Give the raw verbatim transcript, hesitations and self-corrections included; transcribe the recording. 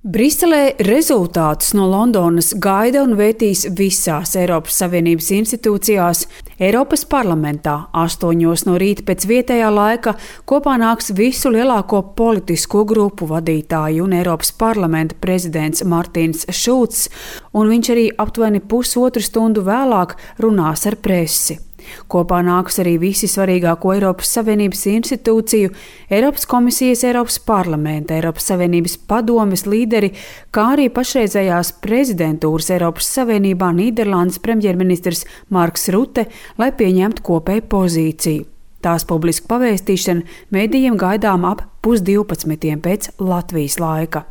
Briselē rezultātus no Londonas gaida un vērtīs visās Eiropas Savienības institūcijās. Eiropas parlamentā astoņos no rīta pēc vietējā laika kopā nāks visu lielāko politisko grupu vadītāji un Eiropas parlamenta prezidents Martins Šulcs, un viņš arī aptuveni pusotru stundu vēlāk runās ar presi. Kopā nāks arī visi svarīgāko Eiropas Savienības institūciju, Eiropas komisijas, Eiropas parlamenta, Eiropas Savienības padomes līderi, kā arī pašreizējās prezidentūras Eiropas Savienībā Nīderlandes premjerministrs Marks Rute, lai pieņemtu kopēju pozīciju. Tās publiska pavēstīšana medijiem gaidām ap pusdivpadsmitiem pēc Latvijas laika.